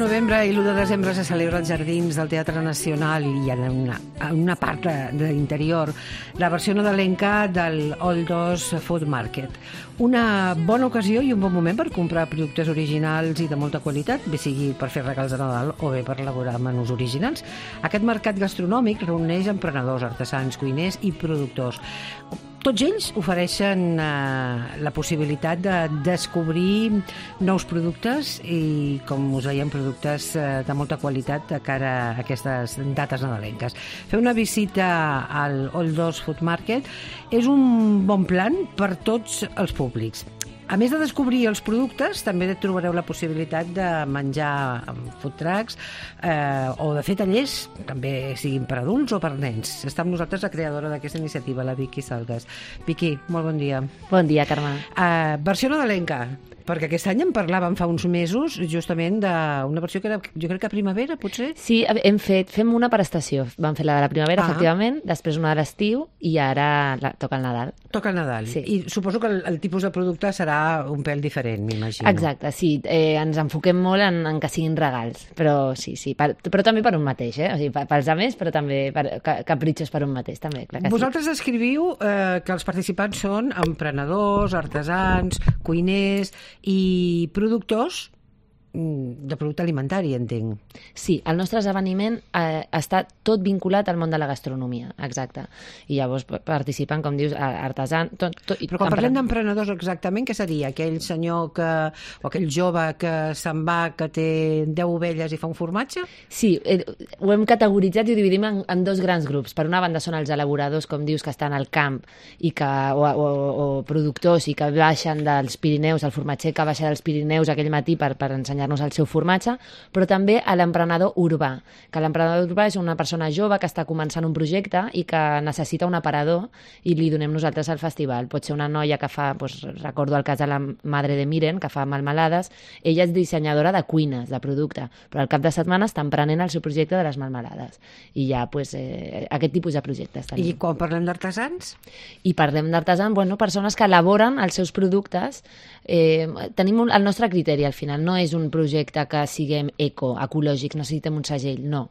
novembre i l'1 de desembre se celebra als Jardins del Teatre Nacional i en una part de l'interior la versió nadalenca del Old Dos Food Market. Una bona ocasió i un bon moment per comprar productes originals i de molta qualitat, bé sigui per fer regals de Nadal o bé per elaborar menús originals. Aquest mercat gastronòmic reuneix emprenedors, artesans, cuiners i productors. Tots ells ofereixen la possibilitat de descobrir nous productes i, com us veiem, productes de molta qualitat de cara a aquestes dates nadalenques. Fer una visita al Old Dos Food Market és un bon plan per tots els públics. A més de descobrir els productes, també trobareu la possibilitat de menjar food trucks o de fer tallers, també siguin per adults o per nens. Està amb nosaltres la creadora d'aquesta iniciativa, la Vicky Salgas. Vicky, molt bon dia. Bon dia, Carme. Versió nadalenca, perquè aquest any en parlàvem fa uns mesos justament d'una versió que era, jo crec que a primavera, potser? Sí, fem una per estació. Vam fer la de la primavera, efectivament, després una de l'estiu i ara toca el Nadal. Toca el Nadal. Sí. I suposo que el tipus de producte serà un pèl diferent, m'imagino. Exacte, sí. Ens enfoquem molt en que siguin regals, però sí, però també per un mateix, O sigui, pels altres, però també capritxos per un mateix, també, clar que Vosaltres escriviu que els participants són emprenedors, artesans, cuiners i productors de producte alimentari, entenc. Sí, el nostre esdeveniment està tot vinculat al món de la gastronomia, exacte. I llavors participen, com dius, artesans... Però quan parlem d'emprenedors exactament, què seria? Aquell senyor o aquell jove que se'n va, que té 10 ovelles i fa un formatge? Sí, ho hem categoritzat i ho dividim en dos grans grups. Per una banda són els elaboradors, com dius, que estan al camp o productors i que baixen dels Pirineus, el formatger que baixa dels Pirineus aquell matí per ensenyar-nos el seu formatge, però també a l'emprenedor urbà, que l'emprenedor urbà és una persona jove que està començant un projecte i que necessita un aparador i li donem nosaltres al festival. Pot ser una noia que fa, recordo el cas de la Madre de Miren, que fa melmelades, ella és dissenyadora de cuines, de producte, però al cap de setmana està emprenent el seu projecte de les melmelades. I ja, aquest tipus de projectes tenim. I quan parlem d'artesans? I parlem d'artesans, persones que elaboren els seus productes. Tenim el nostre criteri, al final, no és un projecte que siguem ecològics, necessitem un segell, no.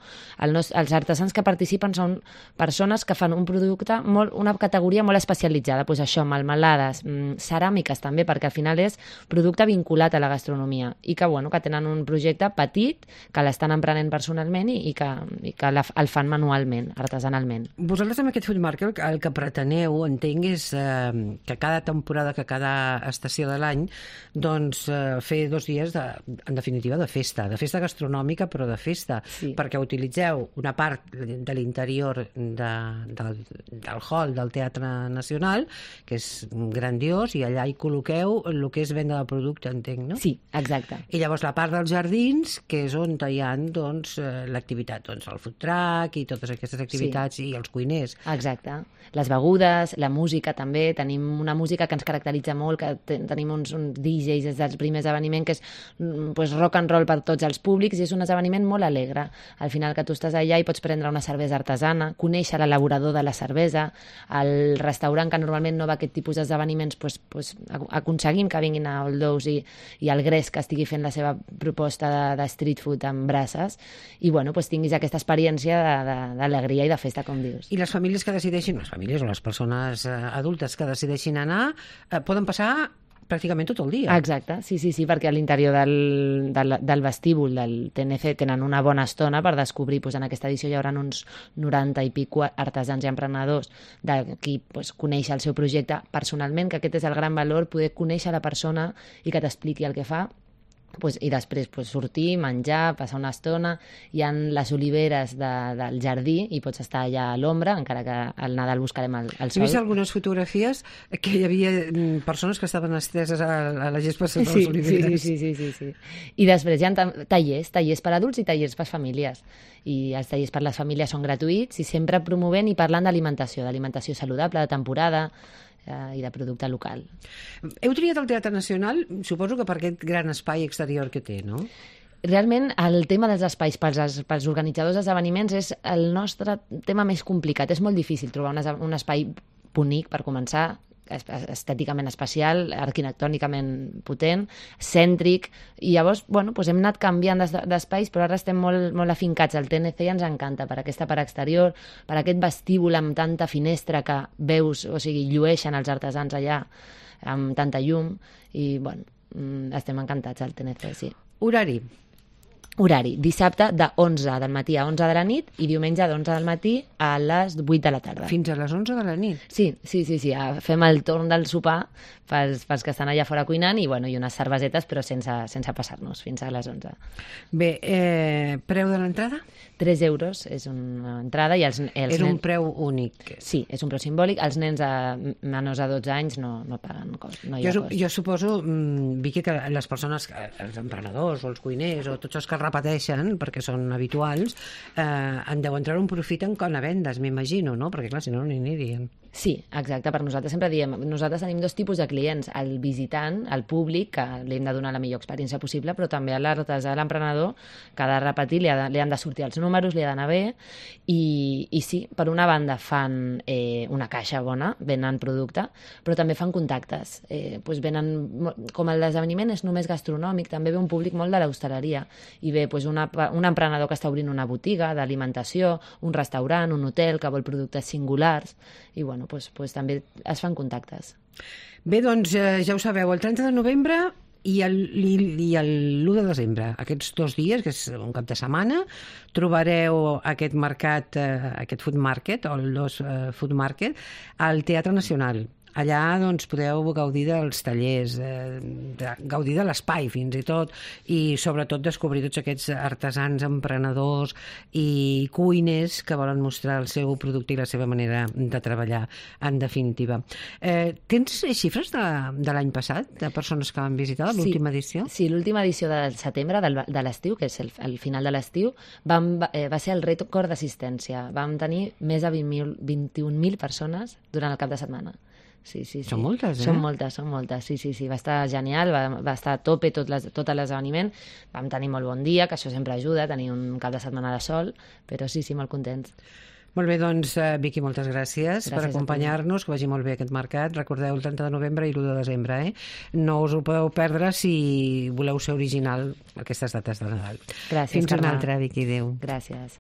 Els artesans que participen són persones que fan un producte, una categoria molt especialitzada, això, melmelades, ceràmiques també, perquè al final és producte vinculat a la gastronomia i que tenen un projecte petit, que l'estan emprenent personalment i que el fan manualment, artesanalment. Vosaltres amb aquest Food Market el que preteneu, entenc, és que cada temporada, que cada estació de l'any, fer 2 dies en definitiva, de festa gastronòmica, però de festa, sí. Perquè utilitzeu una part de l'interior del hall del Teatre Nacional, que és grandiós, i allà hi col·loqueu el que és venda de producte, entenc, no? Sí, exacte. I llavors la part dels jardins, que és on hi ha l'activitat, el food truck i totes aquestes activitats, sí. I els cuiners. Exacte. Les begudes, la música també, tenim una música que ens caracteritza molt, que tenim uns DJs des dels primers esdeveniments, que és rock and roll per tots els públics, i és un esdeveniment molt alegre. Al final que tu estàs allà i pots prendre una cervesa artesana, conèixer l'elaborador de la cervesa, el restaurant que normalment no va a aquest tipus d'esdeveniments, aconseguim que vinguin a Old Dos i el Gres que estigui fent la seva proposta de street food amb braces, i tinguis aquesta experiència d'alegria i de festa, com dius. I les famílies que decideixin, les famílies o les persones adultes que decideixin anar, poden passar pràcticament tot el dia. Exacte, sí, perquè a l'interior del vestíbul del TNC tenen una bona estona per descobrir, en aquesta edició hi haurà uns 90 i pico artesans i emprenedors de qui coneix el seu projecte personalment, que aquest és el gran valor, poder conèixer la persona i que t'expliqui el que fa. I després sortir, menjar, passar una estona. Hi ha les oliveres del jardí i pots estar allà a l'ombra, encara que al Nadal buscarem el sol. He vist algunes fotografies que hi havia persones que estaven esteses a la gespa sota les oliveres. Sí. I després hi ha tallers per adults i tallers per famílies. I els tallers per les famílies són gratuïts i sempre promovent i parlant d'alimentació saludable, de temporada, i de producte local. Heu triat el Teatre Nacional, suposo que per aquest gran espai exterior que té, no? Realment, el tema dels espais pels organitzadors d'esdeveniments és el nostre tema més complicat. És molt difícil trobar un espai bonic, per començar, estèticament especial, arquitectònicament potent, cèntric, i llavors, bueno, doncs hem anat canviant d'espais, però ara estem molt, molt afincats al TNC i ens encanta per aquesta part exterior, per aquest vestíbul amb tanta finestra que veus, o sigui, llueixen els artesans allà amb tanta llum, i bueno, estem encantats al TNC, sí. Horari. Horari, dissabte de 11 del matí a 11 de la nit i diumenge d'11 del matí a les 8 de la tarda. Fins a les 11 de la nit? Sí. Fem el torn del sopar pels que estan allà fora cuinant i unes cervesetes, però sense passar-nos, fins a les 11. Bé, preu de l'entrada? 3 euros és una entrada i els és un preu únic. Sí, és un preu simbòlic. Els nens menors a 12 anys no paguen cost. No hi ha cost. Jo suposo, Vicky, que les persones, els emprenedors o els cuiners o tots els que repeteixen, perquè són habituals, en deuen treure un profit en quan a vendes, m'imagino, no? Perquè clar, si no n'hi anirien. Sí, exacte. Per nosaltres sempre diem, nosaltres tenim 2 tipus de clients, el visitant, el públic, que li hem de donar la millor experiència possible, però també a l'artesà, a l'emprenedor, que ha de repetir, li han de sortir els números, li ha d'anar bé, i sí, per una banda fan una caixa bona, venen producte, però també fan contactes. Venen, com l'esdeveniment és només gastronòmic, també ve un públic molt de l'hostaleria, i ve un emprenedor que està obrint una botiga d'alimentació, un restaurant, un hotel que vol productes singulars, i també es fan contactes. Bé, doncs ja ho sabeu, el 30 de novembre i l'1 de desembre, aquests 2 dies, que és un cap de setmana, trobareu aquest mercat, aquest food market, o el Food Market, al Teatre Nacional. Allà doncs, podeu gaudir dels tallers, gaudir de l'espai fins i tot, i sobretot descobrir tots aquests artesans, emprenedors i cuiners que volen mostrar el seu producte i la seva manera de treballar, en definitiva. Tens xifres de l'any passat, de persones que van visitar l'última edició? Sí, l'última edició del setembre, de l'estiu, que és el final de l'estiu, va ser el rècord d'assistència. Vam tenir més de 21.000 persones durant el cap de setmana. Sí. Són moltes, Són moltes, sí. Va estar genial, va estar a tope tot l'esdeveniment. Vam tenir molt bon dia, que això sempre ajuda, tenir un cap de setmana de sol, però sí, molt contents. Molt bé, doncs, Vicky, moltes gràcies per acompanyar-nos, que vagi molt bé aquest mercat. Recordeu, el 30 de novembre i l'1 de desembre, No us ho podeu perdre si voleu ser original aquestes dates de Nadal. Gràcies, Fins una altra, Vicky, adéu. Gràcies.